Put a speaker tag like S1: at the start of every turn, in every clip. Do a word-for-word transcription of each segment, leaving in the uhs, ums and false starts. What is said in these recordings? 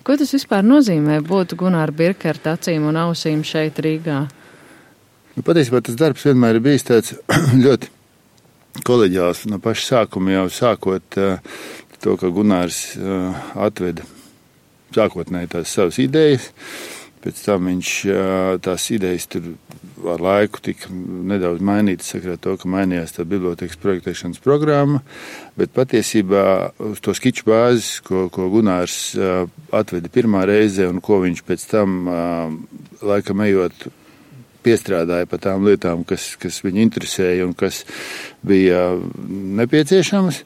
S1: Ko tas vispār nozīmē būt Gunāra Birkerta acīm un ausīm šeit Rīgā?
S2: Nu, patiesībā tas darbs vienmēr ir bijis tāds ļoti koleģiāls. No paša sākuma jau sākot uh, to, ka Gunārs uh, atveda sākotnēji tās savas idejas. Pēc tam viņš tās idejas tur ar laiku tika nedaudz mainītas, sakarā to, ka mainījās tā bibliotekas projektēšanas programma, bet patiesībā uz to skiču bāzes, ko, ko Gunārs atveda pirmā reize un ko viņš pēc tam laikam ejot piestrādāja par tām lietām, kas, kas viņu interesēja un kas bija nepieciešamas.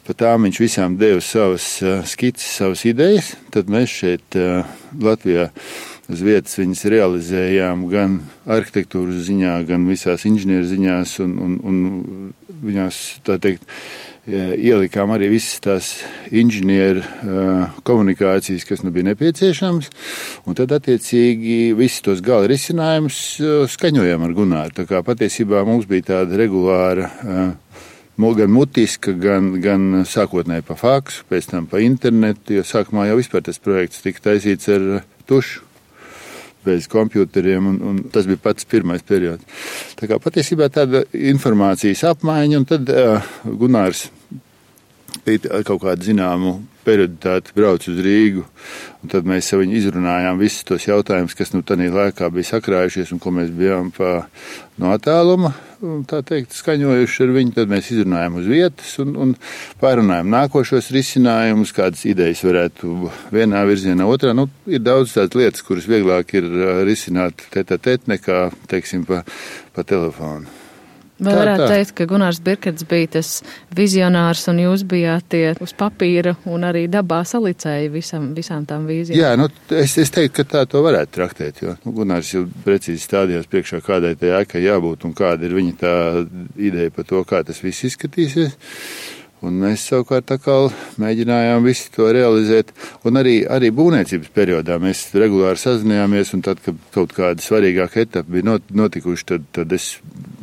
S2: Par tām viņš visām deva savas skices, savas idejas. Tad mēs šeit Latvijā uz vietas viņas realizējām gan arhitektūras ziņā, gan visās inženieru ziņās un, un, un viņās, tā teikt, ielikām arī visas tās inženieru komunikācijas, kas nu bija nepieciešamas, un tad attiecīgi visus tos gala risinājumus skaņojām ar Gunāru. Tā kā patiesībā mums bija tāda regulāra, gan mutiska, gan, gan sākotnēji pa faksu, pēc tam pa internetu, jo sākumā jau vispār tas projekts tika taisīts ar tušu, bez kompjuteriem, un, un tas bija pats pirmais periods. Tā kā patiesībā tāda informācijas apmaiņa, un tad uh, Gunārs bija kaut kādu zināmu perioditāti brauc uz Rīgu, un tad mēs ar viņu izrunājām visus tos jautājumus, kas nu tādā laikā bija sakrājušies, un ko mēs bijām pa, no attāluma, tā teikt, skaņojuši ar viņu. Tad mēs izrunājām uz vietas un, un pārunājām nākošos risinājumus, kādas idejas varētu vienā virzienā, otrā. Nu, ir daudz tādas lietas, kuras vieglāk ir risināt tēt-a-tēt nekā, teiksim, pa, pa telefonu.
S1: Vai
S2: Tā,
S1: varētu
S2: tā.
S1: teikt, ka Gunārs Birkerts bija tas vizionārs un jūs bijāt tie uz papīra un arī dabā salicēji visam, visām tām vīzijām?
S2: Jā, nu, es, es teiktu, ka tā to varētu traktēt, jo nu, Gunārs jau precīzi stādījās priekšā, kādai tai ēkai jābūt un kāda ir viņa tā ideja par to, kā tas viss izskatīsies. Un mēs savukārt tā kā mēģinājām visu to realizēt. Un arī, arī būvniecības periodā mēs regulāri sazinājāmies, un tad, kad kaut kāda svarīgāka etapa bija notikuši, tad, tad es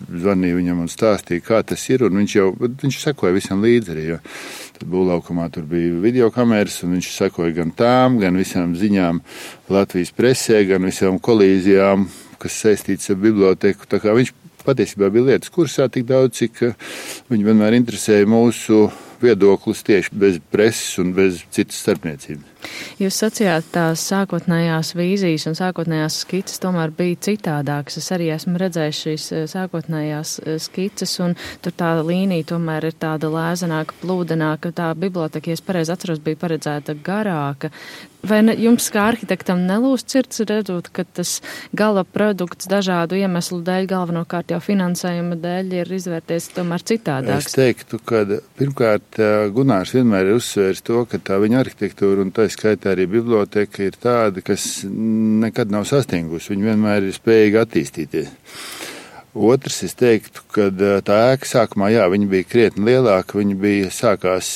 S2: zvanīju viņam un stāstīju, kā tas ir, un viņš jau, viņš sekoja visam līdzi arī, jo tad būvlaukumā tur bija videokameras, un viņš sekoja gan tām, gan visām ziņām Latvijas presē, gan visām kolīzijām, kas saistīts ar biblioteku. Tā kā viņš patiesībā bija lietas kursā tik daudz, cik viņi vienmēr interesēja mūsu viedoklis tieši bez preses un bez citas starpniecības.
S1: Jūs sacījāt, tās sākotnējās vīzijas un sākotnējās skices tomēr bija citādākas. Es arī esmu redzējis šīs sākotnējās skices, un tur tā līnija tomēr ir tāda lēzenāka, plūdenāka. Tā biblioteka, ja es pareizi atceros, bija paredzēta garāka. Vai ne, jums kā arhitektam nelūst sirds redzot, ka tas gala produkts dažādu iemeslu dēļ, galvenokārt jau finansējuma dēļ, ir izvērties tomēr citādāks?
S2: Es teiktu, ka pirmkārt Gunārs vienmēr ir uzsvērs to, ka tā viņa arhitektūra un tā skaitā arī biblioteka ir tāda, kas nekad nav sastingusi. Viņa vienmēr ir spējīga attīstīties. Otrs, es teiktu, ka tā ēka sākumā, jā, viņa bija krietni lielāka, viņa bija sākās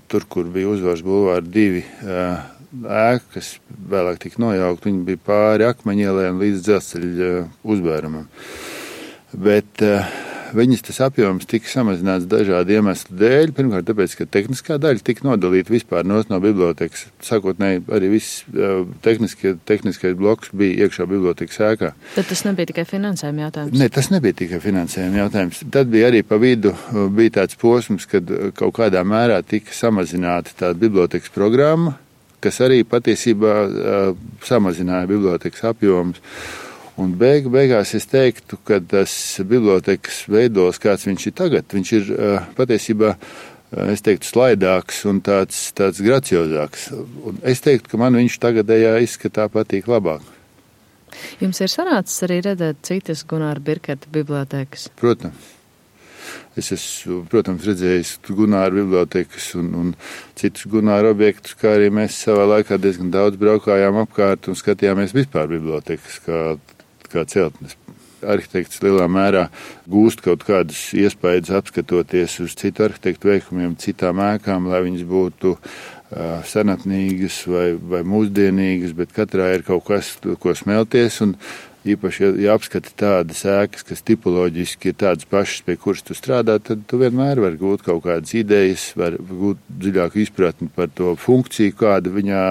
S2: tur, kur bija Uzvaras bulvāra divi ēka, kas vēlāk tika nojaukt, viņa bija pāri Akmeņielai un līdz dzelzceļa uzbērumam. Bet viņas tas apjoms tika samazināts dažādu iemeslu dēļ. Pirmkārt, tāpēc, ka tehniskā daļa tika nodalīta vispār no bibliotekas. Sākotnēji arī viss tehniskie, tehniskais bloks bija iekšā bibliotekas ēkā.
S1: Tad tas nebija tikai finansējuma jautājums?
S2: Ne, tas nebija tikai finansējuma jautājums. Tad bija arī pa vidu bija tāds posms, kad kaut kādā mērā tika samazināta tā bibliotekas programma, kas arī patiesībā samazināja bibliotekas apjomus. Un beig, beigās es teiktu, ka tas bibliotekas veidos, kāds viņš ir tagad, viņš ir patiesībā, es teiktu, slaidāks un tāds, tāds graciozāks. Un es teiktu, ka man viņš tagadējā izskatā patīk labāk.
S1: Jums ir sanācis arī redzēt citas Gunāra Birkerta bibliotekas?
S2: Protams. Es esmu, protams, redzējis Gunāra bibliotekas un, un citus Gunāra objektus, kā arī mēs savā laikā diezgan daudz braukājām apkārt un skatījāmies vispār bibliotekas, kā kā celtnes. Arhitekts lielā mērā gūst kaut kādus iespējas apskatoties uz citu arhitektu veikumiem, citām ēkām, lai viņas būtu uh, senatnīgas vai, vai mūsdienīgas, bet katrā ir kaut kas, ko smelties, un īpaši, ja, ja apskati tādas ēkas, kas tipoloģiski ir tādas pašas, pie kuras tu strādā, tad tu vienmēr vari gūt kaut kādas idejas, var gūt dziļāku izpratni par to funkciju, kāda viņā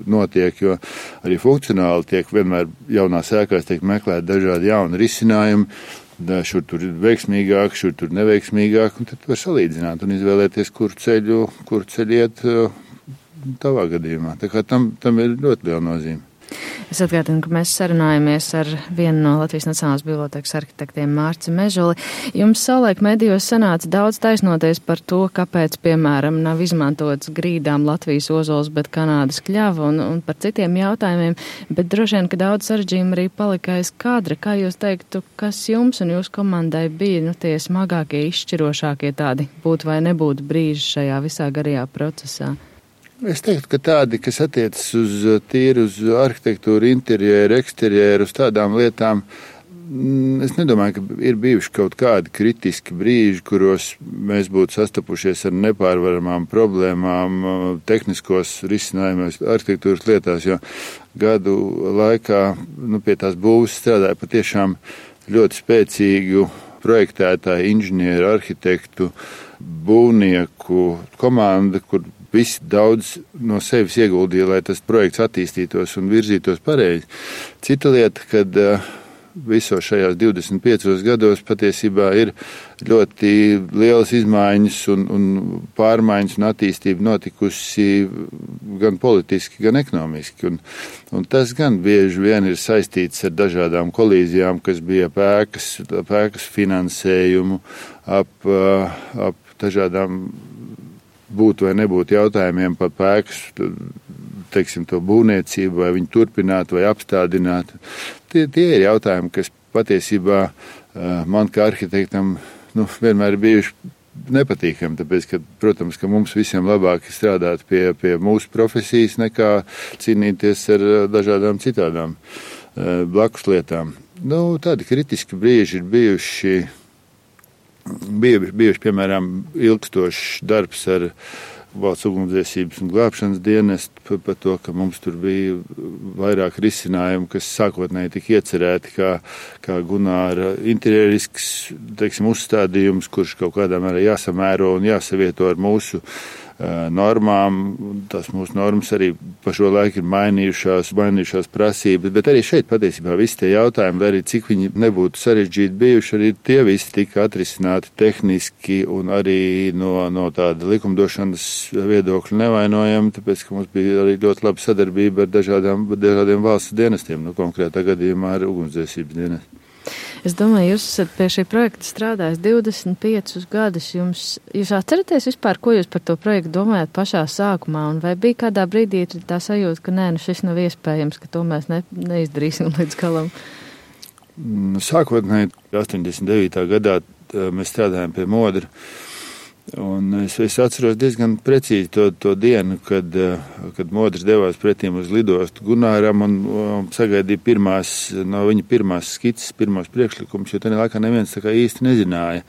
S2: notiek, jo arī funkcionāli tiek vienmēr jaunās ēkās tiek meklēt dažādi jauni risinājumi. Da, šur tur ir veiksmīgāk, šur tur neveiksmīgāk, un tad var salīdzināt un izvēlēties, kur ceļu, kur ceļu iet tavā gadījumā. Tā kā tam, tam ir ļoti liela nozīme.
S1: Es atgādinu, ka mēs sarunājamies ar vienu no Latvijas Nacionālās bibliotēkas arhitektiem Mārci Mežuli. Jums savulaik medijos sanāca daudz taisnoties par to, kāpēc, piemēram, nav izmantots grīdām Latvijas ozols, bet Kanādas kļava un, un par citiem jautājumiem, bet droši vien, ka daudz sarežģījumi arī palika aiz kadra. Kā jūs teiktu, kas jums un jūsu komandai bija nu, tie smagākie, izšķirošākie tādi būtu vai nebūtu brīži šajā visā garajā procesā?
S2: Es teiktu, ka tādi, kas attiecas uz tīru, uz arhitektūru, interjeru, eksterjeru, uz tādām lietām, es nedomāju, ka ir bijuši kaut kādi kritiski brīži, kuros mēs būtu sastapušies ar nepārvaramām problēmām, tehniskos risinājumos, arhitektūras lietās, jo gadu laikā nu, pie tās būvas strādāja patiešām ļoti spēcīgu projektētāju, inženieru, arhitektu, būvnieku komanda, kur visi daudz no sevis ieguldīja, lai tas projekts attīstītos un virzītos pareizi. Cita lieta, kad visos šajās divdesmit piecos gados patiesībā ir ļoti lielas izmaiņas un, un pārmaiņas un attīstība notikusi gan politiski, gan ekonomiski. Un, un tas gan bieži vien ir saistīts ar dažādām kolīzijām, kas bija ap ēkas, ap ēkas finansējumu, ap, ap dažādām būt vai nebūt jautājumiem par ēkas, teiksim, to būvniecību, vai viņu turpināt vai apstādināt. Tie, tie ir jautājumi, kas patiesībā man kā arhitektam nu, vienmēr ir bijuši nepatīkami, tāpēc, ka, protams, ka mums visiem labāk ir strādāt pie, pie mūsu profesijas, nekā cīnīties ar dažādām citādām blakus lietām. Nu, tādi kritiski brīži ir bijuši Bija bijuši, piemēram, ilgstošs darbs ar valsts ugunsdzēsības un glābšanas dienestu par, par to, ka mums tur bija vairāk risinājumu, kas sākotnēji tika iecerēti kā, kā Gunāra interjerisks, teiksim, uzstādījums, kurš kaut kādā mērā jāsamēro un jāsavieto ar mūsu normām. Tās mūsu normas arī pa šo laiku ir mainījušās, mainījušās prasības, bet arī šeit patiesībā visi tie jautājumi, lai arī cik viņi nebūtu sarežģīti bijuši, arī tie visi tika atrisināti tehniski un arī no, no tāda likumdošanas viedokļa nevainojami, tāpēc, ka mums bija arī ļoti laba sadarbība ar dažādām, dažādiem valsts dienestiem, nu konkrētā gadījumā ar ugunsdzēsības dienestu.
S1: Es domāju, jūs esat pie šī projekta strādājis divdesmit piecus gadus. Jums, jūs atceraties vispār, ko jūs par to projektu domājat pašā sākumā? Un vai bija kādā brīdī tā sajūta, ka nē, nu šis nav iespējams, ka to mēs ne, neizdarīsim līdz galam?
S2: Sākotnēji astoņdesmit devītā gadā mēs strādājām pie Modra. Un es, es atceros diezgan precīzi to, to dienu, kad, kad Modrs devās pretīm uz lidostu Gunāram un, un sagaidīja pirmās, no viņa pirmās skices, pirmos priekšlikumus, jo tajā laikā neviens tā kā īsti nezināja,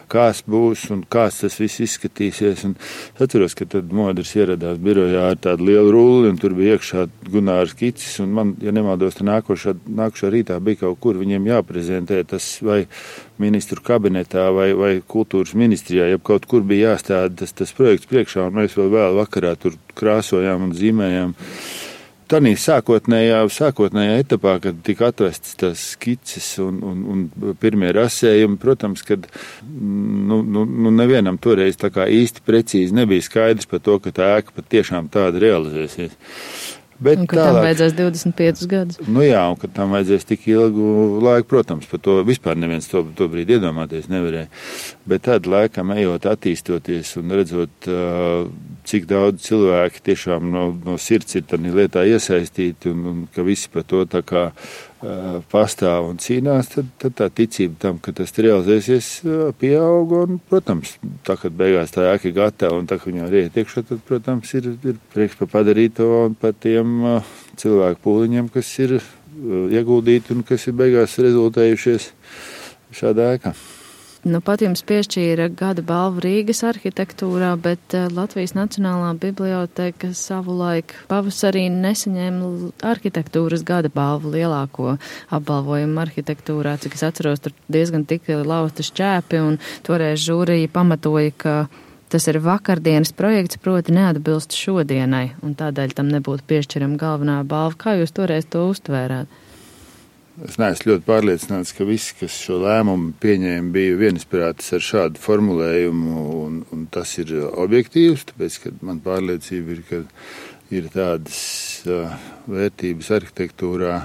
S2: kāds būs un kāds tas viss izskatīsies. Un es atceros, ka tad Modrs ieradās birojā ar tādu lielu rulli un tur bija iekšā Gunāra skices un man, ja nemaldos, tā nākošā, nākošā rītā bija kaut kur viņiem jāprezentē tas vai ministru kabinetā vai, vai kultūras ministrijā, ja kaut kur bija jāstāda tas, tas projekts priekšā, un mēs vēl vēl vakarā tur krāsojām un zīmējām. Tanī sākotnējā, sākotnējā etapā, kad tika atvestas tās skices un, un, un pirmie rasējumi, protams, kad nu, nu, nu nevienam toreiz tā kā īsti precīzi nebija skaidrs par to, ka tā ēka pat tiešām tāda realizēsies. Bet
S1: un ka tālāk, tam vajadzēs divdesmit piecus gadus.
S2: Nu jā, un ka tam vajadzēs tik ilgu laiku, protams, par to vispār neviens to, to brīdi iedomāties nevarēja. Bet tad laikam ejot, attīstoties un redzot, cik daudz cilvēki tiešām no, no sirds ir tādā lietā iesaistīti un, un ka visi par to tā kā pastāv un cīnās, tad, tad tā ticība tam, ka tas realizēsies, pieauga un, protams, tā, kad beigās tā ēka ir gatava un tā, ka viņā riet iekšā, tad, protams, ir, ir prieks par padarīto un par tiem cilvēku pūliņiem, kas ir ieguldīti un kas ir beigās rezultējušies šādā ēkā.
S1: Nu, pat jums piešķīra gada balvu Rīgas arhitektūrā, bet Latvijas Nacionālā bibliotēka savulaik pavasarī nesaņēma arhitektūras gada balvu, lielāko apbalvojumu arhitektūrā. Cik es atceros, tur diezgan tika lausta šķēpi, un toreiz žūrija pamatoja, ka tas ir vakardienas projekts, proti neatbilst šodienai, un tādēļ tam nebūtu piešķirama galvenā balva. Kā jūs toreiz to uztvērāt?
S2: Es neesmu ļoti pārliecināts, ka visi, kas šo lēmumu pieņēma, bija vienisprātis ar šādu formulējumu, un, un tas ir objektīvs, tāpēc, ka man pārliecība ir, ka ir tādas uh, vērtības arhitektūrā,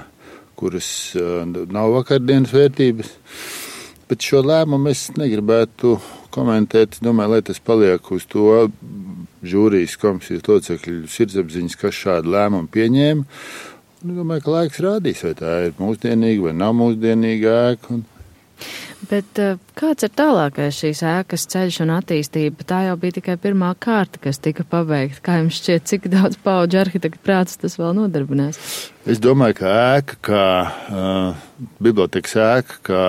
S2: kuras uh, nav vakardienas vērtības, bet šo lēmumu es negribētu komentēt. Domāju, lai tas paliek uz to žūrijas komisijas locekļu sirdsapziņas, kas šādu lēmumu pieņēma. Es domāju, ka laiks rādīs, vai tā ir mūsdienīga vai nav mūsdienīga ēka. Un...
S1: Bet kāds ir tālākais šīs ēkas ceļš un attīstība? Tā jau bija tikai pirmā kārta, kas tika pabeigta. Kā jums šķiet, cik daudz paudžu arhitektu prāts tas vēl nodarbinās?
S2: Es domāju, ka ēka, kā uh, bibliotekas ēka, kā,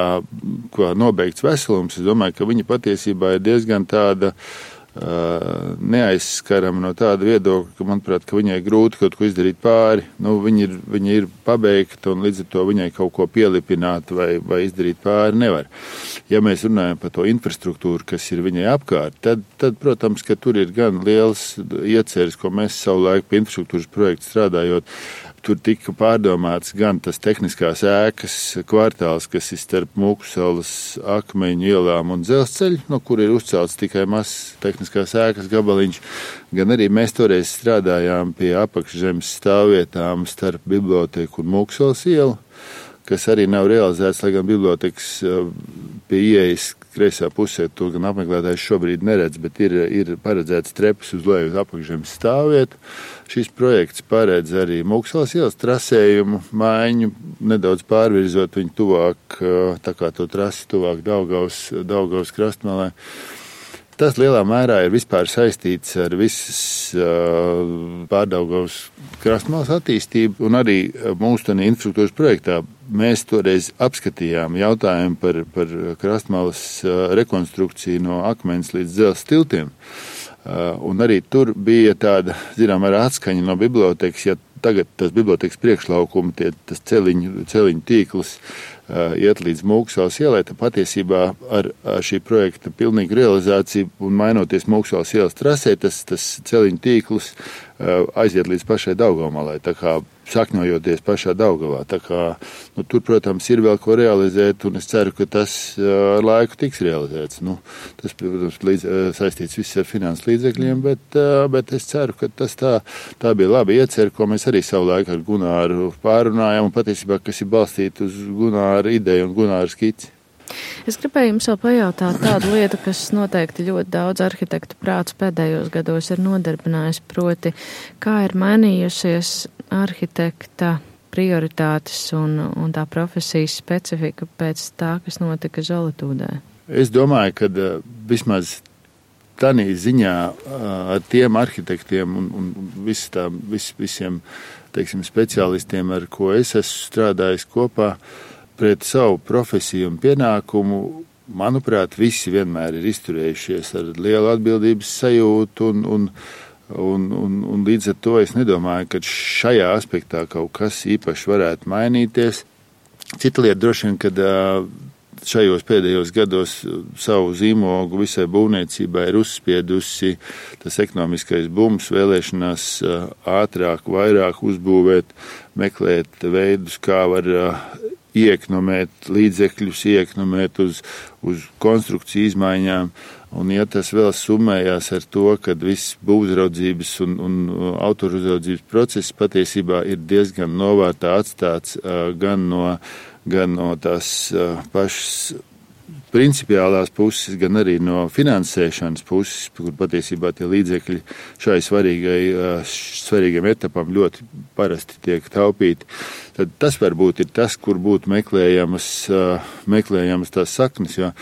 S2: kā nobeigts veselums, es domāju, ka viņa patiesībā ir diezgan tāda Uh, neaizskarama no tāda viedokļa, ka, manuprāt, ka viņai grūti kaut ko izdarīt pāri. Nu, viņa ir, viņa ir pabeigta un līdz ar to viņai kaut ko pielipināt vai, vai izdarīt pāri nevar. Ja mēs runājam par to infrastruktūru, kas ir viņai apkārt, tad, tad, protams, ka tur ir gan liels ieceres, ko mēs savulaik pie infrastruktūras projekta strādājot. Tur tika pārdomāts gan tas tehniskās ēkas kvartāls, kas ir starp Mūkusalas, Akmeņu ielām un dzelzceļu, no kur ir uzcelts tikai mazs tehniskās ēkas gabaliņš, gan arī mēs toreiz strādājām pie apakšzemes stāvvietām starp biblioteku un Mūkusalas ielu, kas arī nav realizēts, lai gan bibliotekas pie ieejas kreisā pusē, to gan apmeklētājs šobrīd neredz, bet ir, ir paredzēts trepas uz leju uz apakšzemes stāvvietu. Šis projekts paredz arī Mūkusalas ielas trasējumu maiņu, nedaudz pārvirzot viņu tuvāk, tā kā to trasi tuvāk Daugavas, Daugavas krastmalē. Tas lielā mērā ir vispār saistīts ar visas uh, Pārdaugavas krastmalas attīstību, un arī mūsu tādā infrastruktūras projektā mēs toreiz apskatījām jautājumu par, par krastmalas uh, rekonstrukciju no akmens līdz dzelzs tiltiem. Uh, un arī tur bija tāda, zinām, ar atskaņa no bibliotekas, ja tagad tas bibliotekas priekšlaukuma, tie, tas celiņu, celiņu tīkls uh, iet līdz Mūkusalas ielai, tad patiesībā ar, ar šī projekta pilnīgu realizāciju un mainoties Mūkusalas ielas trasē, tas, tas celiņu tīkls uh, aiziet līdz pašai Daugavmalai, tā kā sakņojoties pašā Daugavā. Tā kā, nu, tur, protams, ir vēl ko realizēt, un es ceru, ka tas ar uh, laiku tiks realizēts. Nu, tas, protams, līdz, uh, saistīts viss ar finanses līdzekļiem, bet, uh, bet es ceru, ka tas tā, tā bija laba iecer, ko mēs arī savu laiku ar Gunāru pārunājām, un patiesībā, kas ir balstīta uz Gunāra ideju un Gunāra skici.
S1: Es gribēju jums vēl pajautāt tādu lietu, kas noteikti ļoti daudz arhitektu prāts pēdējos gados ir nodarbinājis, proti, kā ir mainījusies arhitekta prioritātes un, un tā profesijas specifika pēc tā, kas notika Zolitūdē.
S2: Es domāju, ka vismaz tādā ziņā ar tiem arhitektiem un, un vis tā, vis, visiem, teiksim, speciālistiem, ar ko es esmu strādājis kopā, pret savu profesiju un pienākumu, manuprāt, visi vienmēr ir izturējušies ar lielu atbildības sajūtu, un, un, un, un, un līdz ar to es nedomāju, ka šajā aspektā kaut kas īpaši varētu mainīties. Cita lieta droši vien, kad šajos pēdējos gados savu zīmogu visai būvniecībai ir uzspiedusi tas ekonomiskais bums, vēlēšanās ātrāk, vairāk uzbūvēt, meklēt veidus, kā var iekonomēt līdzekļus, iekonomēt uz, uz konstrukciju izmaiņām. Un ja tas vēl summējās ar to, ka viss būvuzraudzības un, un autoruzraudzības process patiesībā ir diezgan novārtā atstāts gan no, gan no tās pašas principiālās puses, gan arī no finansēšanas puses, kur patiesībā tie līdzekļi šai svarīgai, svarīgam etapam ļoti parasti tiek taupīti. Tad tas varbūt ir tas, kur būtu meklējamas, meklējamas tās saknes, jo,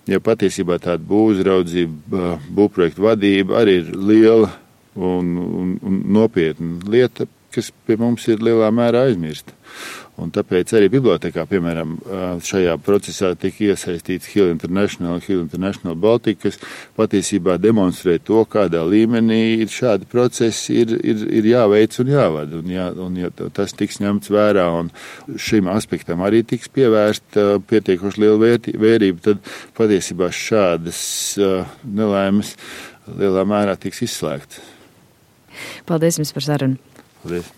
S2: jo patiesībā tāda būvuzraudzība, būvprojektu vadība arī ir liela un, un, un nopietna lieta, kas pie mums ir lielā mērā aizmirsta. Un tāpēc arī bibliotekā, piemēram, šajā procesā tika iesaistīts Hill International, Hill International Baltica, kas patiesībā demonstrē to, kādā līmenī ir šādi procesi ir, ir, ir jāveic un jāvada. Un, jā, un ja tas tiks ņemts vērā un šim aspektam arī tiks pievērst pietiekoši liela vērtība, tad patiesībā šādas nelaimes lielā mērā tiks izslēgts.
S1: Paldies jums par sarunu.
S2: Paldies.